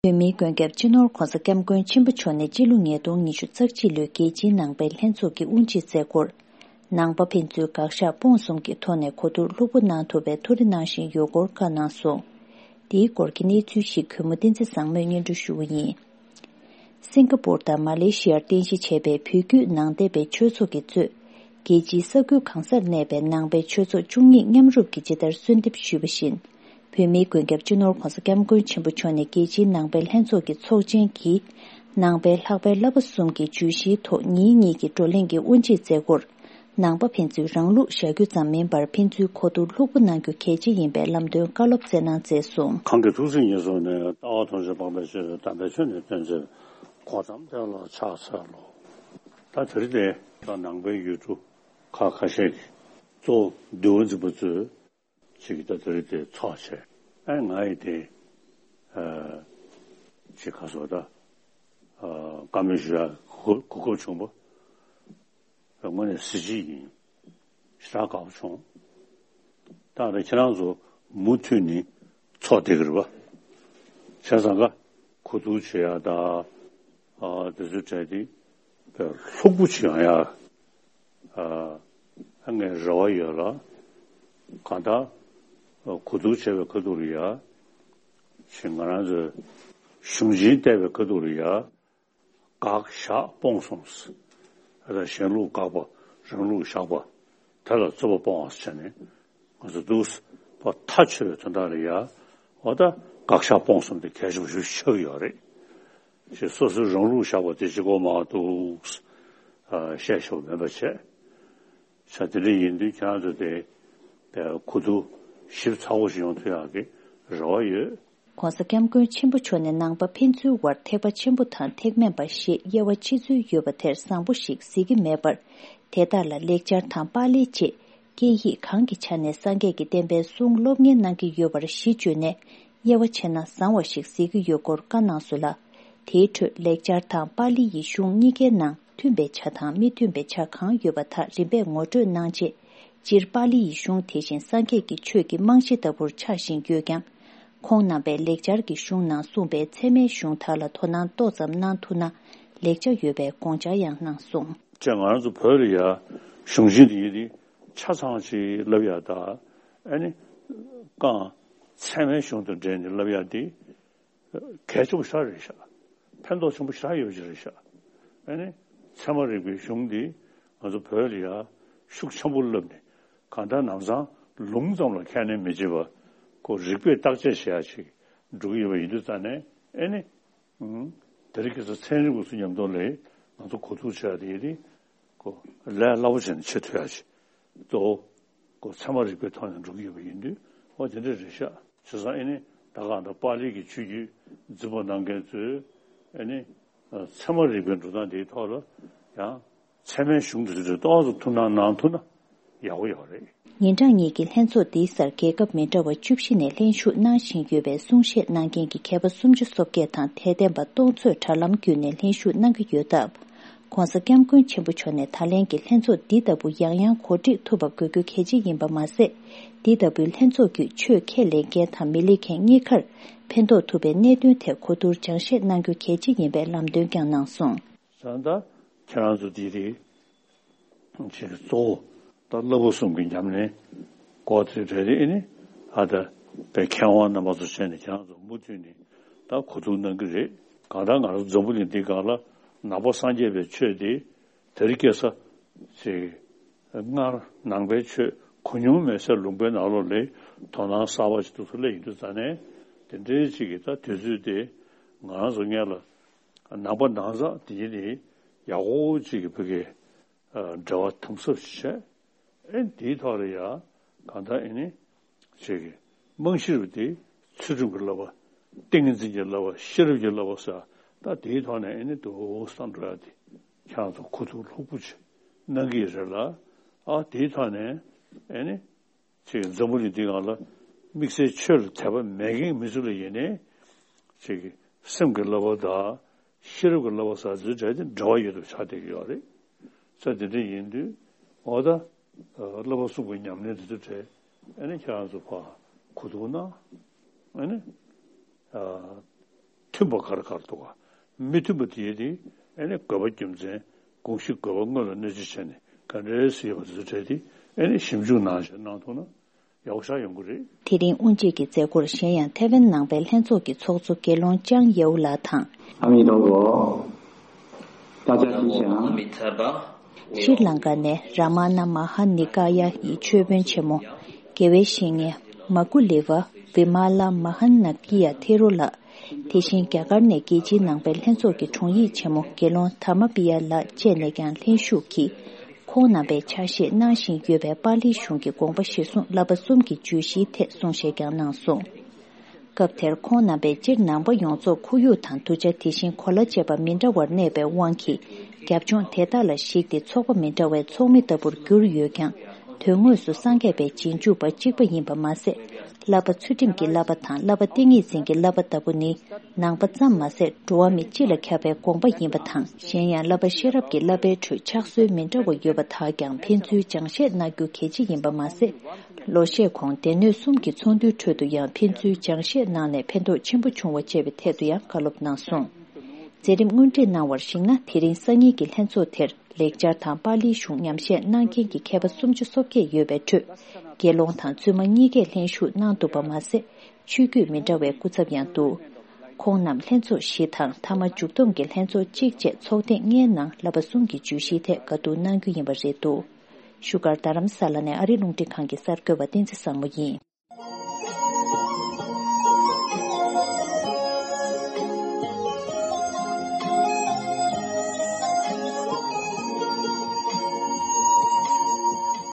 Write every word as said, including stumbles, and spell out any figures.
བོད་མིའི་མགོན་སྐྱབས་སྤྱི་ནོར་༧གོང་ས་༧སྐྱབས་མགོན་ཆེན་པོ་མཆོག་ནས་སྤྱི་ལོ་ཉིས་སྟོང་ཉི་ཤུ་རྩ་གཅིག་ལོའི་རྒྱལ་སྤྱིའི་ནང་པའི་ལྷན་ཚོགས་ཀྱི་དབུ་འབྱེད་མཛད་སྒོར། ནང་པ་ཕན་ཚུན་དགག་བཞག་སྤོང་གསུམ་གྱི་ཐོག་ནས་གོ་བསྡུར་ལྷུག་པོ་གནང་ཐུབ་པའི་ཐུགས་རེ་གནང་བཞིན་ཡོད་སྐོར་བཀའ་གནང་སོང་། དེའི་སྐོར་གྱི་གནས་ཚུལ་ཞིག་གུས་མོ་བསྟན་འཛིན་བཟང་མོས་སྙན་སྒྲོན་ཞུ་བ་ཡིན། སིང་ག་པུར་དང་མ་ལེ་ཤི་ཡར་རྟེན་གཞི་བྱས་པའི་བོད་བརྒྱུད་ནང་བསྟན་པའི་ཆོས་ཚོགས་ཀྱིས་གཙོས། རྒྱལ་སྤྱིའི་ས་ཁུལ་གང་སར་གནས་པའི་ནང་པའི་ཆོས་ཚོགས་བཅུ་གཉིས་མཉམ་རུབ་ཀྱིས་ཇི་ལྟར་གསོལ་འདེབས་ཞུས་པ་བཞིན། བོད་མིའི་མགོན་སྐྱབས་སྤྱི་ནོར་༧གོང་ས་༧སྐྱབས་མགོན་ཆེན་པོ་མཆོག་ནས་རྒྱལ་སྤྱིའི་ནང་པའི་ལྷན་ཚོགས་ཀྱི་ཚོགས་ཆེན་གྱིས། ནང་པའི་ལྷག་པའི་བསླབ་པ་གསུམ་གྱི་བརྗོད་གཞིའི་ཐོག་ཉིན་གཉིས་ཀྱི་བགྲོ་གླེང་གི་དབུ་འབྱེད་མཛད་སྒོར། ནང་པ་ཕན་ཚུན་རང་ལུགས་བཞག་རྒྱུ་ཙམ་མིན་པར་ཕན་ཚུན་གོ་བསྡུར་ལྷུག་པོ་གནང་རྒྱུ་གལ་ཆེ་ཡིན་པའི་ལམ་སྟོན་བཀའ་སློབ་སྩལ་གནང་མཛད་སོང་། གང་གི་ཐུགས་སྲས་ཉེར་བཟུང་ནས། ལྟ་བ་ཐམས་ཅད་སྤངས་པའི་ཕྱིར། དམ་པའི་ཆོས་ནི་སྟོན་མཛད་པའི། གོ་ཏམ་དེ་ལ་ཕྱག་འཚལ་ལོ། ད་དེ་རིང་དེ་ད་ནང་པའི་ཡུལ་གྲུ་ཁག་ཁ་ཤས་ཀྱི་གཙོ་བོ་འདུལ་བ་འཛིན་པ་ཚོས་ཅིག་ད་དེ་རིང་དེ་ཚོགས་བྱས། ཨ་ང་ཡི་དེ་ཨ་ཅིག་ག་སོ་ད་ཨ་བཀའ་མོལ་ཞུ་ཡ་གོ་གོ་སྐབས་བྱུང་བ། དངོས་གནས་གཟི་བརྗིད་ཡིན། ཞེ་དྲག་དགའ་པོ་བྱུང་། ད་ལྟ་ཁྱེད་རང་ཚོ་མུ་མཐུད་ནས་ཚོགས་བསྡད་ཀྱི་རེད་པ། བྱས་ཙང་ཀ་གོ་བསྡུར་བྱེད་ཡ་ད་ཨ་དེ་ཚོའི་གྲས་དེ་དཔེ་ལྷུག་པོ་བྱེད་ཡ་ཨ་ངས་རེ་བ་ཡོད་ལ། གང་ལྟར་གོ་བསྡུར་བྱས་པའི་ཁ་ཐུག་ལ་ཡ་ཞེས་ང་རང་ཚོའི་གཞུང་ཆེན་བལྟས་པའི་ཁ་ཐུག་ལ་ཡ། དགག་བཞག་སྤོང་གསུམ། ཨ་ད་གཞན་ལུགས་དགག་པ། རང་ལུགས་བཞག་པ། དེ་ལ་རྩོད་པ་སྤོང་བ་བྱས་ནས་ང་ཚོ་འདུག་པ་མཐའ་ཆོད་པའི་དོན་དག་ལ་ཡ། འོ་ད་དགག་བཞག་སྤོང་གསུམ་དེ་གལ་ཆེན་པོ་ཞིག་ཆགས་ཀྱི་ཡོད་རེད། ཞེས་སོ་སོའི་རང་ལུགས་བཞག་པ་དེ་གཅིག་པོ་མ་གཏོགས་བཤད་ཆོག་མེད་པ་བྱས། ས་དེ་འདྲ་ཡིན་དུས་ཁྱེད་རང་ཚོ་དེ་གོ་བསྡུར་ཞིབ་ཚགས་པོ་ཞིག་ཡོང་ཐུབ་ཡག་གི་རེ་བ་ཡོད། ྋགོང་ས་ྋསྐྱབས་མགོན་ཆེན་པོ་མཆོག་ནས་ནང་པ་ཕན་ཚུན་དབར་ཐེག་པ་ཆེན་པོ་དང་ཐེག་དམན་པ་ཞེས་དབྱེ་བ་ཕྱེ་ཚུལ་ཡོད་པ་དེར་བཟང་པོ་ཞིག་གཟིགས་ཀྱི་མེད་པར། དེ་དག་ལ་ལེགས་སྦྱར་དང་པཱ་ལིའི་བཅས་སྐད་ཡིག་གང་གི་ཆ་ནས་སངས་རྒྱས་ཀྱི་བསྟན་པའི་གསུང་སློབ་གཉེར་གནང་གི་ཡོད་པར་གཞི་བཅོལ་ནས་དབྱེ་བ་ཕྱེ་ན་བཟང་བ་ཞིག་གཟིགས་ཀྱི་ཡོད་སྐོར་བཀའ་གནང་སོང་ལ། དེའི་ཁྲོད་ལེགས་སྦྱར་དང་པཱ་ལི་ཡི་གཞུང་གཉིས་ཀའི་ནང་མཐུན་པའི་ཆ་དང་མི་མཐུན་པའི་ཆ་གང་ཡོད་པ་དག་རིམ་པས་ངོ་སྤྲོད་གནང་རྗེས། སྤྱིར་པཱ་ལི་ཡི་གཞུང་དེ་བཞིན་སངས་རྒྱས་ཀྱི་ཆོས་ཀྱི་རྨང་གཞི་ལྟ་བུར་ཆགས་བཞིན་ཡོད་ཀྱང་། ཁོང་རྣམ་པས་ལེགས་སྦྱར་གྱི་གཞུང་ནང་གསུངས་པའི་ཚད་མའི་གཞུང་དག་ལ་དོ་སྣང་ཏོག་ཙམ་གནང་ཐུབ་ན་ལེགས་ཆ་ཡོད་པའི་དགོངས་འཆར་ཡང་གནང་སོང་། ཅེས་ང་རང་ཚོ་བོད་ལ་ཡ་གཞུང་ཆེན་འདི་ཡིན་ཏེ་ཆ་ཚང་ཅིག་བསླབ་ཡ་ད་ཨ་ནི་རྐང་ཚད་མའི་གཞུང་དང་འབྲེལ་ནས་བསླབ་ཡ་འདི། གལ་ཆེན་པོ་ཞེ་དྲག་རེད་ཤག་ཕན་ཐོགས་ཆེན་པོ་ཞེ་དྲག་ཡོད་ཀྱི་རེད་ཤག་ཨ་ནི་ཚད་མ་རིག་པའི་གཞུང་འདི་ང་ཚོ་བོད་ལ་ཡ་ཤུགས་ཆེན་པོ་བསླབས་ནས་གང་ལྟར་ནམ་སང་ལུང་ཙམ་ལ་ཁས་ལེན་མི་བྱེད་པ་ཁོ་རིགས་པས་བརྟག་དཔྱད་བྱེད་ཡ་ཅིག་འགྲོ་གི་ཡོད་པ་ཡིན་དུས་ཙང་ནས་ཨ་ནི་དེ་རིང་ཁ་སང་ཚན་རིག་པ་ཚོ་མཉམ་དུ་ལས་ང་ཚོ་གོ་བསྡུར་བྱེད་ཡ་དེ་ཡིན་དུས། ཁོ་ལས་སླ་པོ་བྱས་ནས་བྱེད་ཐུབ་ཡ་ཞིག་གཙོ་བོ་ཁོ་ཚད་མ་རིག་པའི་ཐོག་ནས་འགྲོ་གི་ཡོད་པ་ཡིན་དུས་ཨོ་དེ་འདྲ་རེད་ཤག་བྱས་ཙང་ཨེ་ནི་ད་ག་ད་པཱ་ལི་གི་ཆོས་བརྒྱུད་འཛིན་པ་གནང་མཁན་ཚོས་ཨེ་ནི་ཚད་མ་རིག་པའི་འགྲོ་སྟངས་དེའི་ཐོག་ལ་ཡང་ཚད་མའི་གཞུང་དེ་ཚོ་ཏོག་ཙམ་ཐུགས་སྣང་གནང་ཐུབ་ན་ཡག་པོ་ཡོད་རེད། ཉིན་གྲངས་གཉིས་ཀྱི་ལྷན་ཚོགས་འདིའི་སར་རྒྱལ་ཁབ་མི་འདྲ་བ་བཅུ་བཞི་ནས་ལྷན་ཞུགས་གནང་བཞིན་ཡོད་པའི་གསུང་བཤད་གནང་མཁན་གྱི་མཁས་པ་སུམ་ཅུ་སོ་བརྒྱད་དང་དད་ལྡན་པ་སྟོང་ཚོས་དྲ་ལམ་བརྒྱུད་ནས་ལྷན་ཞུགས་གནང་གི་ཡོད་སྟབས། ྋགོང་ས་ྋསྐྱབས་མགོན་ཆེན་པོ་མཆོག་ནས་ད་ལན་གྱི་ལྷན་ཚོགས་འདི་ལྟ་བུ་ཡང་ཡང་གོ་སྒྲིག་ཐུབ་པ་དགོས་རྒྱུ་གལ་ཆེ་ཡིན་པ་མ་ཟད། འདི་ལྟ་བུའི་ལྷན་ཚོགས་བརྒྱུད་ཆོས་ཁས་ལེན་མཁན་དང་མི་ལེན་མཁན་གཉིས་ཀར་ཕན་ཐོགས་ཐུབ་པའི་གནད་དོན་ཐད་གོ་བསྡུར་སྦྱང་བཤད་གནང་རྒྱུ་གལ་ཆེ་ཡིན་པའི་ལམ་སྟོན་ཀྱང་གནང་སོང་། ད་ལྟ་ཁྱེད་རང་ཚོ་འདི་རེད། ཅིག་གཙོ་བོ་ད་བསླབ་པ་གསུམ་གྱི་ཉམས་ལེན་སྐོར་དེ་རེད་དེ་ཨེ་ནི་ཨ་ད་པའི་མཁས་དབང་རྣམ་པ་ཚོ་བྱས་ནས་ཁྱེད་རང་ཚོ་མུ་མཐུད་ནས་ད་གོ་བསྡུར་གནང་གི་རེད། གང་ལྟར་ང་རང་འཛམ་བུ་གླིང་འདི་སྒང་ལ་ནང་པ་སངས་རྒྱས་པའི་ཆོས་དེ་དེ་རིང་ཁ་སང་ཅིག་སྔར་ནང་པའི་ཆོས་གོ་མྱོང་མེད་སའི་ལུང་པའི་ནང་ལོགས་ལ་དོ་སྣང་གསར་པ་ཞིག་ཏུ་སླེབས་ཡོང་དུས་ཙང་ནས་དེ་འདྲའི་ཅིག་གི་ད་དུས་ཚོད་དེ་ང་རང་ཚོ་སྔོན་ལ། ནང་པ་ནང་ཚང་དེ་ནི་ཡག་པོ་ཅིག་གི་བོད་ཀྱི་འབྲེལ་བ་དམ་ཟབ་ཅིག་བྱས། ཨེ་དེའི་ཐོག་ལ་ཡ་གང་ལྟར་ཨེ་ནི་ཅིག་གི་རྨང་གཞི་རུ་དེ་ཚུལ་ཁྲིམས་ཀྱི་བསླབ་པ། ཏིང་ངེ་འཛིན་གྱི་བསླབ་པ། ཤེས་རབ་ཀྱི་བསླབ་པ་ཟེར་ད་དེའི་ཐོག་ནས་ཨེ་ནི་དུ་བསམ་འགྲོ་ཡ་དེ་ཁྱེད་རང་ཚོ་གོ་བསྡུར་ལྷུག་པོ་ཅིག་གནང་གི་ཡོད་རེད་ལ། ཨ་དེའི་ཐོག་ནས་ཨེ་ནི། ཅིག་འཛམ་བུ་གླིང་འདི་སྒང་ལ་དམིགས་བསལ་ཆོས་ལ་དད་པ་མེད་མཁན་མི་ཚོ་ལ་ཡིན་ནའི་ཅིག་སེམས་ཀྱི་བསླབ་པ་དང་ཤེས་རབ་ཀྱི་བསླབ་པ་ཟེར་ཚུལ་འདྲ་དེ་འབྲེལ་བ་ཡོད་དུ་ཆགས་བསྡད་ཀྱི་ཡོད་རེད། ས་དེ་འདྲ་ཡིན་དུས་འོ་ད་བསླབ་པ་གསུམ་གྱི་ཉམས་ལེན་དེ་ཚོ་གྲས་ཨ་ནི་ཁྱེད་རང་ཚོ་ཕར་གོ་བསྡུར་གནང་ཨ་ནི་ཐུན་ མཐུན་པ་ག་རེ་ག་རེ་འདུག་ག་མི་མཐུན་པ་དེ་དེ་ཨ་ནི་དགོས་པ་རྒྱུ་མཚན་དགོངས་གཞི་དགོས་པ་དངོས་ལ་གནོད་འཚེ་བྱས་ནས་ག་འདྲའི་སྲིད་པ་དེ་ཚོ་གྲས་དེ་ཨ་ནི་ཞིབ་འཇུག་གནང་བྱས་གནང་ཐུབ་ན་ཡག་པོ་ཞེ་དྲག་ཡོང་གི་རེད། དེ་རིང་དབུ་འབྱེད་ཀྱི་མཛད་སྒོར་གཞན་ཡང་ཐའེ་ཝན་ནང་པའི་ལྷན་ཚོགས་ཀྱི་ཚོགས་གཙོ་དགེ་སློང་ཅང་ཡའོ་ལགས་དང་། 阿弥陀佛，大家吉祥。 ཤྲི་ལང་ཀ་ནས་ར་མ་ན་མ་ཧ་ནི་ཀ་ཡ་ཡི་ཆོས་དཔོན་ཆེན་མོ། དགེ་བའི་བཤེས་གཉེན་མ་ཀུ་ལི་ཝ་བི་མ་ལ་མ་ཧ་ན་ཀི་ཡ་ཐེ་རོ་ལགས། དེ་བཞིན་རྒྱ་གར་ནས་རྒྱལ་སྤྱིའི་ནང་པའི་ལྷན་ཚོགས་ཀྱི་དྲུང་ཡིག་ཆེན་མོ་དགེ་སློང་དྷརྨ་པི་ཡ་ལགས་བཅས་ནས་ཀྱང་ལྷན་ཞུགས་ཀྱིས། ཁོང་རྣམ་པས་ཕྱག་བཞེས་གནང་བཞིན་ཡོད་པའི་པཱ་ལིའི་གཞུང་གི་དགོངས་པ་གཞིར་བཟུང་བསླབ་པ་གསུམ་གྱི་བརྗོད་གཞིའི་ཐད་གསུང་བཤད་ཀྱང་གནང་སོང་། སྐབས་དེར་ཁོང་རྣམ་པས་སྤྱིར་ནང་པ་ཡོངས་རྫོགས་ཁོར་ཡུག་དང་གདུལ་བྱ་དེ་བཞིན་གོ་ལ་བཅས་པ་མི་འདྲ་བར་གནས་པའི་དབང་གིས་རྒྱབ་ལྗོངས་དེ་དག་ལ་གཞིགས་ཏེ་ཚོགས་པ་མི་འདྲ་བའི་ཚོགས་མི་ལྟ་བུར་གྱུར་ཡོད་ཀྱང་། དོན་དངོས་སུ་སངས་རྒྱས་པའི་རྗེས་འཇུག་པ་གཅིག་པ་ཡིན་པ་མ་ཟད། བསླབ་པ་ཚུལ་ཁྲིམས་ཀྱི་བསླབ་པ་དང་བསླབ་པ་ཏིང་ངེ་འཛིན་གྱི་བསླབ་པ་ལྟ་བུ་ནི་ནང་པ་ཙམ་མ་ཟད་འགྲོ་བ་མི་སྤྱི་ལ་ཁྱབ་པའི་དགོངས་པ་ཡིན་པ་དང་། གཞན་ཡང་བསླབ་པ་ཤེས་རབ་ཀྱི་བསླབ་པའི་ཁྲོད་ཕྱག་སྲོལ་མི་འདྲ་བ་ཡོད་པ་དག་ཀྱང་ཕན་ཚུན་སྦྱང་བཤད་གནང་རྒྱུ་གལ་ཆེ་ཡིན་པ་མ་ཟད། ལོ་ཤས་གོང་སྡེ་སྣོད་གསུམ་གྱི་ཚོགས་འདུའི་ཁྲོད་དུ་ཡང་ཕན་ཚུན་སྦྱང་བཤད་གནང་ནས་ཕན་ཐོགས་ཆེན་པོ་བྱུང་བ་བཅས་པའི་ཐད་དུ་ཡང་བཀའ་སློབ་གནང་སོང་། མཛད་རིམ་དངོས་བཀྲིས་གནང་བར་གཞིགས་ན། དེ་རིང་སང་ཉིན་གྱི་ལྷན་ཚོགས་དེར་ལེགས་སྦྱར་དང་པཱ་ལིའི་གཞུང་ཉམས་བཞེས་གནང་མཁན་གྱི་མཁས་པ་སུམ་ཅུ་སོ་བརྒྱད་ཡོད་པའི་ཁྲོད། དགེ་སློང་དང་བཙུན་མ་གཉིས་ཀས་ལྷན་ཞུགས་གནང་འདུག་པ་མ་ཟད། ཆོས་བརྒྱུད་མི་འདྲ་བའི་སྐུ་ཚབ་ཡང་འདུག་ཁོང་རྣམས་ལྷན་ཚོགས་བཞི་དང་མཐའ་མ་མཇུག་བསྡོམས་ཀྱི་ལྷན་ཚོགས་གཅིག་བཅས་ཚོགས་ཐེངས་ལྔའི་ནང་བསླབ་པ་གསུམ་གྱི་བརྗོད་གཞིའི་ཐད་བཀའ་བསྡུར་གནང་རྒྱུ་ཡིན་པ་རེད་འདུག་བཞུགས་སྒར་རྡ་རམ་ས་ལ་ནས་ཨ་རིའི་རླུང་འཕྲིན་ཁང་གི་གསར་འགོད་པ་བསྟན་འཛིན་བཟང་མོ་ཡིན།